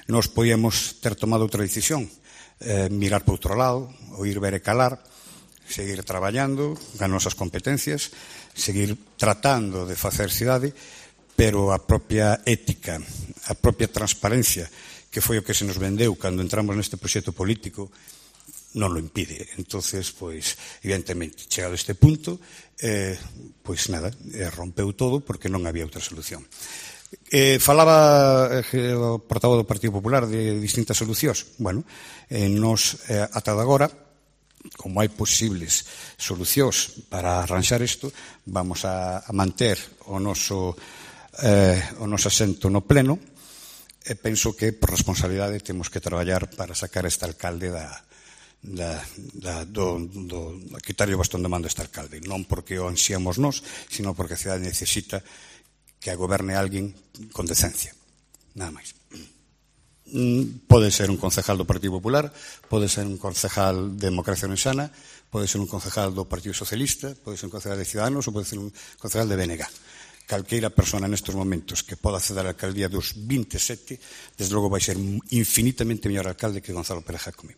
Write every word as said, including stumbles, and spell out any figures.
Nos podíamos ter tomado outra decisión, eh, mirar para outro lado, oír, ver e calar, seguir traballando as nosas competencias, seguir tratando de facer cidade, pero a propia ética, a propia transparencia, que foi o que se nos vendeu cando entramos neste proxecto político, non lo impide. Entonces, pois, evidentemente, chegado a este punto, eh, pois nada, eh, rompeu todo porque non había outra solución. Eh, falaba eh, o portavoz do Partido Popular de distintas solucións. Bueno, eh, nos, eh, ata de agora, como hai posibles solucións para arranxar isto, vamos a, a manter o noso, eh, o noso asento no pleno, e penso que, por responsabilidade, temos que traballar para sacar este alcalde da, da, da, do, do, do quitarlle o bastón de mando a este alcalde. Non porque o ansiamos nós, sino porque a cidade necesita que a goberne alguén con decencia. Nada máis. Pode ser un concejal do Partido Popular, pode ser un concejal de Democracia Ourensana, pode ser un concejal do Partido Socialista, pode ser un concejal de Ciudadanos ou pode ser un concejal de B N G. Calqueira persona nestes momentos que poda acceder á alcaldía dos vinte e sete, desde logo vai ser infinitamente mellor alcalde que Gonzalo Pérez Jacome.